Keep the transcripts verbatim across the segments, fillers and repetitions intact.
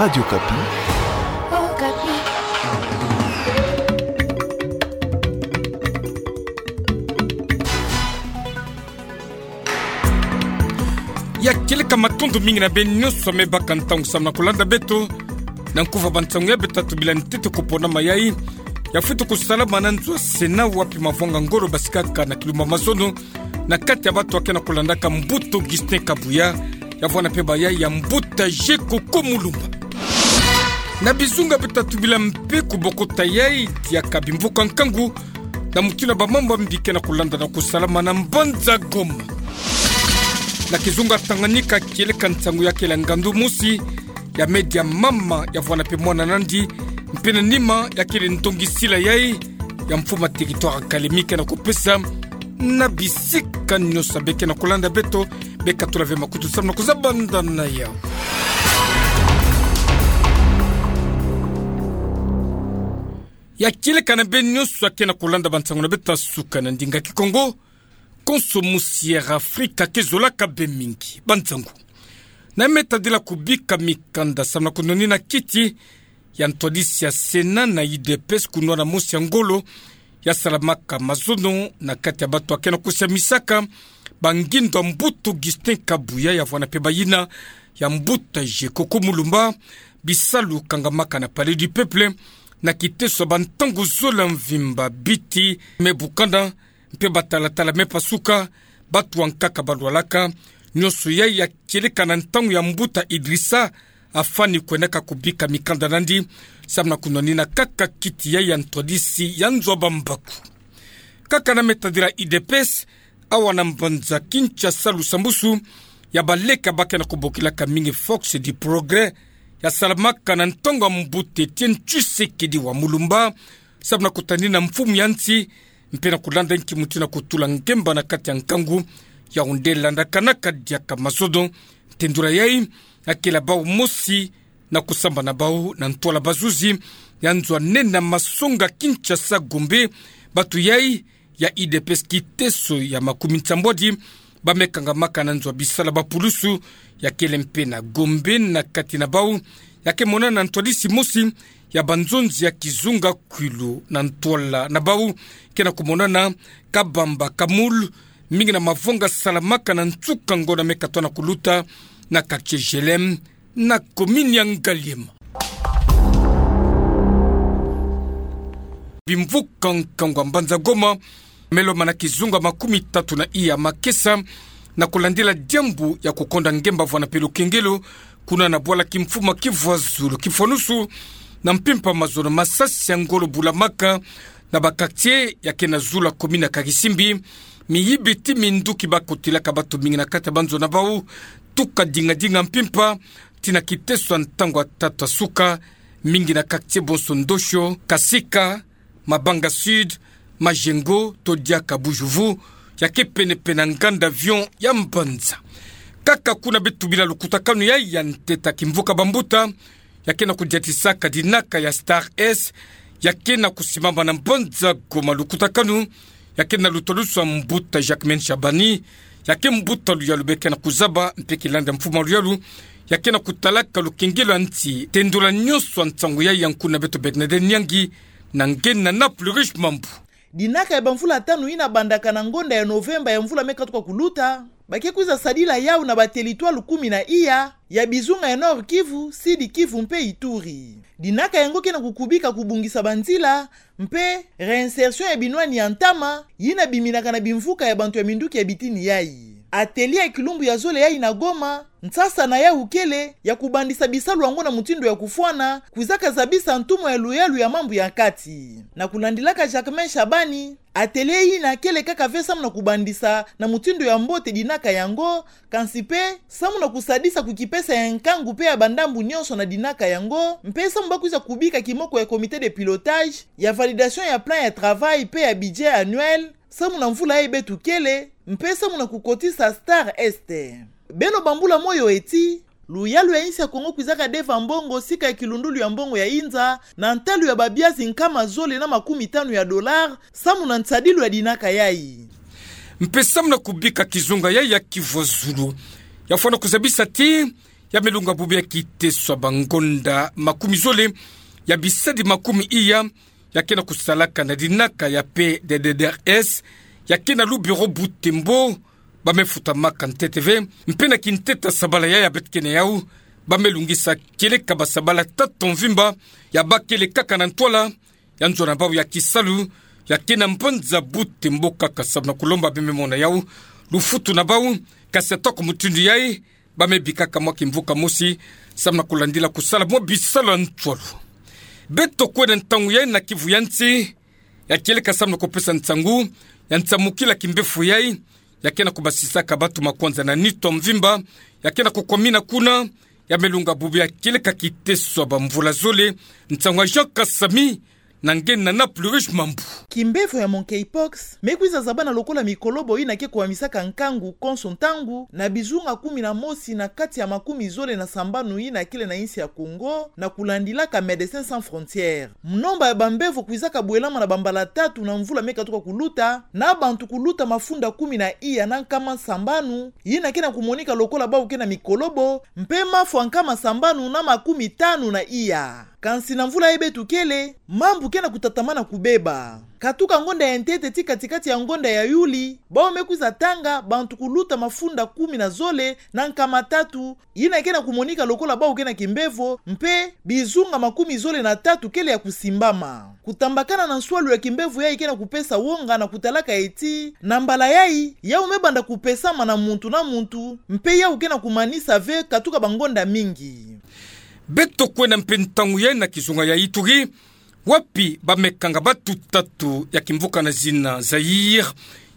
Radio Okapi. Okapi. Ya kieleka matondo mingi na beno nyonso amu baka ntangu samu na kulanda beto. Na nkuva ba nsangu ya beto tatu bila ntete kupona mayai. Ya fwitu kusalama na nzo ya Sénat wapi mavanga ngolo basikaka na kilumbu ya mazono. Na kati ya bato ake na kulandaka mbuta Augustin Kabuya, ya vwanda mpe bayai ya mbuta Jeko Komulumba. Na bizunga beto tatu bila mpe kubokota yai diaka bimvuka nkangu, na mutindu ya ba mambu ya mbi ke na kulanda na kusalama na mbanza Goma. Na kizunga Tanganyika kieleka nsangu ya kele ngandu mosi, ya me dia mama ya vwanda mpe mwana nandi, mpe na nima ya kele ndongi sila yai, ya mfumu ya territoire Kalemie ke na kupesa, na bisika nyonso be ke na kulanda beto, be katula ve makutu samu na kuzabanda na yau. Ya kieleka na beno nyonso ake na kulanda ba nsangu na beto ya suka na ndinga Kikongo, konso musi Air Afrique ke zolaka be mingi. Ba nsangu. Na me tadila kubika mikanda samu na kunwanina kiti ya ntwadisi ya Sénat na U D P S kunwana mosi ya ngolo, ya salamaka mazono na kati ya bato ake na kusiamisaka ba ngindo ya mbuta Augustin Kabuya ya vwanda mpe bayina ya mbuta Jeko Komulumba, bisalu kangamaka na Palais du Peuple, na kiteso ya ba ntangu zola mvimba, biti me bukana, mpe ba talatala me pasuka, bato ya nkaka balwalaka, nyonso yai ya kieleka na ntangu ya mbuta Idrissa Afani kwendaka kubika mikanda nandi, samu na kunwanina kaka kiti yai ya ntwadisi ya nzo ya bambaku. Kaka na me tadila U D P S, awa na mbanza Kinshasa lusambusu ya baleka ba ke na kubokilaka mingi Force du Progrès, ya salamaka na ntangu ya mbuta Étienne Tshisekedi wa Mulumba, samu na kutanina mfumu ya nsi, mpe na kulanda nki mutindu ya kutula ngemba na kati ya nkangu, ya onde landakanaka diaka mazono. Tendula yai, ya kele ya bau mosi na kusambana bau na ntwala bazuzi ya nzo ya nene ya masonga Kinshasa Gombe, bato yai ya U D P S kiteso ya makumi nsambwadi, ba me kangamaka na nzo ya bisala ba pulusu, ya kele mpe na Gombe na kati na bau, ya ke monana na ntwadisi mosi ya banzonzi ya kizunga Kwilu na ntwala na bau, ke na kumonana Kabamba Kamul, mingi na mavanga salamaka na nsuka ngonda me katoa na kuluta na quartier G L M, na commune ya Ngaliema. Bimvuka nkangu ya mbanza Goma, me lomana kizunga makumi tatu na iya makesa, na kulandila diambu ya kukonda ngemba vwanda mpe lukengelo, kuna na bwala kimfumu ya Kivu ya Zulu, Kifwanusu, na mpimpa mazono masasi ya ngolo bulamaka na ba quartier ya ke na zulu ya commune ya Karisimbi, miyibi ti minduki ba kotilaka bato mingi na kati ya banzo na bau, tuka dingadinga mpimpa, tii na kiteso ya ntangu ya tatu ya suka, mingi na quartier bonso Ndosho, Kasika, Mabanga Sud, Majengo, to diaka Bujuvu, ya ke penepene na nganda avion ya mbanza. Kaka kuna beto bila lukutakanu yai ya ntete ya kimvuka bambuta, ya ke na kudiatisaka dinaka ya Star S, ya ke na kusimama na mbanza Goma lukutakanu, ya ke na lutalusu ya mbuta Jacquemain Shabani, ya ke mbuta luyalu be ke na kuzaba, mpe kilanda mfumu ya luyalu, ya ke na kutalaka lukengelo ya nsi. Tendula nyonso ya nsangu yai ya nkuna beto Bernadette Nyangi, na ngena na Plurish Mambu. Dinaka ya bamvula tanu yina bandaka na ngonda ya Novemba ya mvula me katuka kuluta, ba ke kwiza sadila yau na ba territoire kumi na iya ya bizunga ya Nord-Kivu, Sud-Kivu mpe Ituri. Dinaka yango ke na kukubika kubongisa banzila mpe réinsertion ya binwani ya ntama yina biminaka na bimvuka ya bantu ya minduki ya bitini yai. Atelier ya kilumbu ya zole yai na Goma, nsasa na yau kele ya kubandisa bisalu yango na mutindu ya kufwana, kwizaka zabisa ntumwa ya luyalu ya mambu ya kati. Na kulandilaka Jacquemain Shabani, atelier yina kele kaka ve samu na kubandisa na mutindu ya mbote dinaka yango, kansi mpe samu na kusadisa kukipesa ya nkangu mpe ya bandambu nyonso na dinaka yango, mpe samu ba kwiza kubika kimoko ya comité de pilotage ya validation ya plan ya travail mpe ya budget annuel, samu na mvula yai beto kele, mpe samu na kukotisa Star Est. Beno bambula moyo eti, luyalu ya insi ya Kongo kwizaka deva mbongo sika ya kilundulu ya mbongo ya inza, na ntalu ya babiazi nkama zole na makumi tanu ya dollars, samu na nsadilu ya dinaka yai. Mpe samu na kubika kizunga yai ya Kivu ya Zulu, ya fwana kuzabisa ti ya melunga bubu ya kiteso ya bangonda makumi zole ya bisadi makumi iya, ya ke na kusalaka na dinaka ya P D D R S, ya ke na lu bureau Butembo, ba mefutamaka ntete ve, mpe na kinteta sabala yayi ya beto kena yau, ba melungisa kieleka basabala tata mvimba, ya bakele kaka na ntwala ya nzo na bau ya kisalu, ya ke na mbanza Butembo kaka samu na kulomba bembe mona yau lufutu na bau, kasi atako mutindu yayi, ba mebikaka mwa kimvuka mosi, samu na kulandila kusala mwa bisalu ya ntwala. Beto kwenda ntangu yayi na Kivu ya nsi, ya kieleka samu na kupesa nsangu ya nsamukila kimbefo yayi, ya ke na kubasisaka batu makwanza na nitu ya mvimba, ya ke na kukwamina kuna, ya melunga bubu ya kieleka kiteso ya bamvula zole, nsangu ya Jean Kasami, na nge na Nana Plurish Mambu. Kimbefo ya monkeypox me kwiza zabana lokola mikolobo yina ke kuhamisaka nkangu konso ntangu na bizunga kumi na mosi na kati ya makumi zole na sambanu yina kele na insi ya Congo, na kulandilaka Médecins Sans Frontières. Munomba ya bambevo kwizaka bwelama na bambala tatu na mvula me katuka kuluta, na bantu kuluta mafunda kumi na iya na nkama sambanu, yina ke na kumonika lokola bau ke na mikolobo, mpe mafwa nkama sambanu na makumi tanu na iya. Kansi na mvula yayi beto kele, mambu ke na kutatamana kubeba. Katuka ngonda ya ntete ti kati-kati ya ngonda ya Yuli, bau me kwiza tanga bantu kuluta mafunda kumi na zole na nkama tatu, yina ke na kumonika lokola bau ke na kimbevo, mpe bizunga makumi zole na tatu kele ya kusimbama. Kutambakana na nswalu ya kimbevo yayi ke na kupesa wonga na kutalaka eti, na mbala yayi, yau me banda kupesama na muntu na muntu, mpe yau ke na kumanisa ve katuka bangonda mingi. Beto kwenda mpe ntangu yayi na kizunga ya Ituri, wapi ba me kanga batu tatu ya kimvuka na zina Zaïre,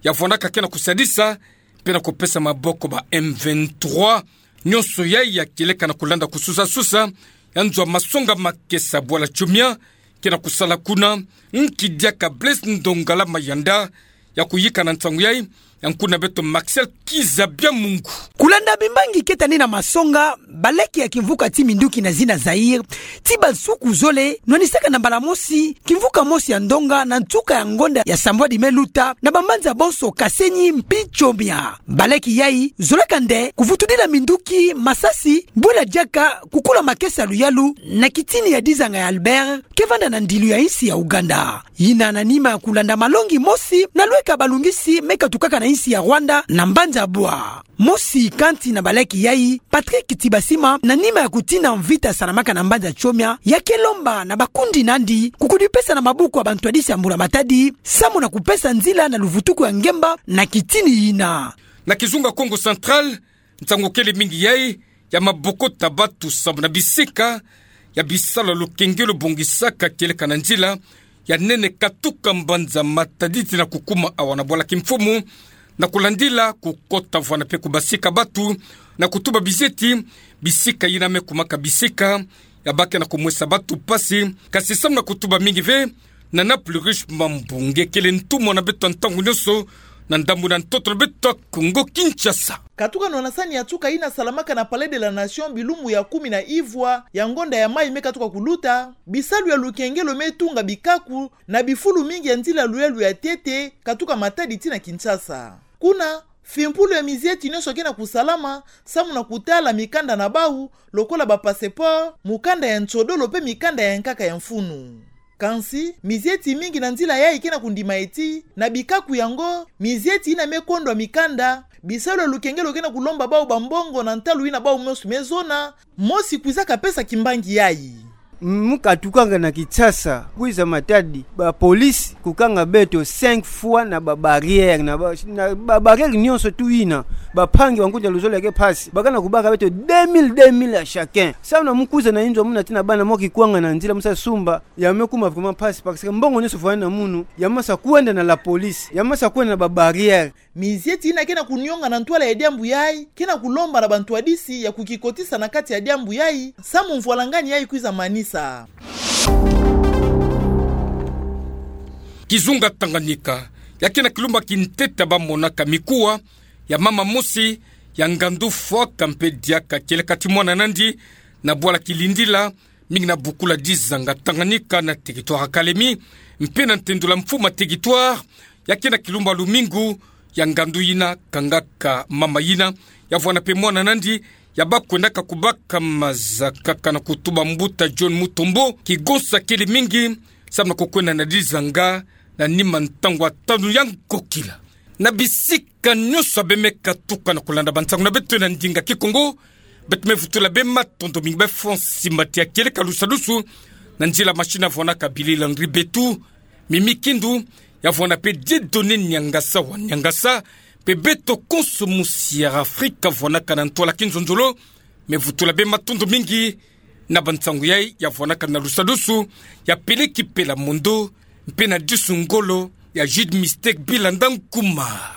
ya vwandaka ke na kusadisa, mpe na kupesa maboko ba M vingt-trois, nyonso yayi ya kieleka na kulanda kususa-susa ya nzo ya masonga makesa bwala Tchomia, ke na kusala kuna, nki diaka Blaise Ndongala Mayanda, ya kuyika na nsangu yayi, ya nkuna beto Maxel Kizabia Mungu. Kulanda bimbangi ke tani na masonga, baleke ya kimvuka ti minduki na zina Zaïre, ti bansuku zole, nwanisaka na mbala mosi kimvuka mosi ya ndonga na nsuka ya ngonda ya sambwadi me luta, na bambanza bonso Kasenyi mpe Tchomia. Baleke yayi zolaka nde kuvutudila minduki, masasi, bwela diaka kukula makesa ya luyalu, na kitini ya Dizanga ya Albert, ke vanda na ndilu ya insi ya Ouganda. Yina na nima ya kulanda malongi mosi na lweka balungisi me katukaka na insi ya Rwanda na mbanza Bwa. Mosi kati na baleke yayi, Patrick Tibasima, na nima ya kutina mvita salamaka na mbanza Tchomia, ya ke lomba na bakundi nandi kukudipesa na maboko ya bantwadisi ya Mbula Matadi, samu na kupesa nzila na luvutuku ya ngemba na kitini yina. Na kizunga Kongo Central, nsangu kele mingi yayi ya mabokota batu samu na bisika ya bisalu ya lukengelo bongisaka kieleka na nzila ya nene katuka mbanza Matadi tii na kukuma awa na bwala kimfumu, na kulandila kukota vwanda mpe kubasika batu, na kutuba bizieti, bisika yina me kumaka bisika ya ba ke na kumwesa batu mpasi, kasi samu na kutuba mingi ve, Nana Plurish Mambu, nge kele ntumwa na beto ya ntangu nyonso, na ndambu na ntoto na beto ya Kongo Kinshasa. Katuka nwanasani ya nsuka yina salamaka na Palais de la Nation bilumbu ya kumi na ivwa ya ngonda ya mayi me katuka kuluta, bisalu ya lukengelo me tunga bikaku na bifulu mingi ya nzila ya luyalu ya ntete, katuka Matadi tii na Kinshasa. Kuna, fimpulu ya mizieti nyonso ke na kusalama, samu na kutala mikanda na bau, lokola ba passeport, mukanda ya nsodolo mpe mikanda ya nkaka ya mfunu. Kansi, mizieti mingi na nzila yayi ke na kundima eti, na bikaku yango, mizieti yina me kondwa mikanda, bisalu ya lukengelo ke na kulomba bau bambongo na ntalu yina bau mosi me zona, mosi kwizaka pesa kimbangi yayi. Mu katukanga na Kinshasa, kwiza Matadi, ba police kukanga beto cinq fois na ba barrière, na ba, na ba barrière nyonso tu yina, bampangi, bankundi ya luzolo ya ke mpasi, ba ke na kubaka beto deux mille, deux mille à chacun. Samu na mu kwiza na inzo muna tii na bana, mu kikwanga na nzila, mu sa sumba, ya me kuma vraiment mpasi, parce que mbongo nyonso fwani na munu, ya mu sa kwenda na la police, ya mu sa kwenda na ba barrière. Mizieti yina ke na kunionga na ntwala ya diambu yayi, ke na kulomba na bantwadisi ya kukikotisa na kati ya diambu yayi, samu mvwalangani yayi kwiza manisa. Kizunga Tanganyika, ya ke na kilumba kintete ba monaka mikuwa ya mama mosi, ya ngandu fwaka mpe diaka kieleka ti mwana nandi, na bwala Kilindila, mingi na bukula Dizanga Tanganyika na territoire Kalemi, mpe na ntendula mfumu ya territoire, ya ke na kilumba lumingu, ya ngandu yina kangaka mama yina, ya vwanda mpe mwana nandi, ya bakwendaka kubaka mazakaka na kutuba mbuta John Mutombo, ki gonsa kele mingi, samu na kukwenda na dizanga, na nima ntangu ya tanu ya nkokila. Na bisika nyonso ya bemeka tuka na kulanda bansangu na beto na ndinga Kikongo, beto me vutula bima matondo mingi bafo nsimbati ya kieleka lusadusu, na nzila machine ya vwanaka Billy Landry Betu, Mimi Kindu, ya vwana pe Dieudonné Niangasa wa Niangasa, pe beto konso musi ya Afrika vwanaka na ntwala kinzonzolo, me vutula bima matondo mingi na bansangu yayi ya vwanaka na lusadusu, ya Peleki Pela Mondo, mpe na disu ngolo ya Jude Mistake Bilanda Nkumar.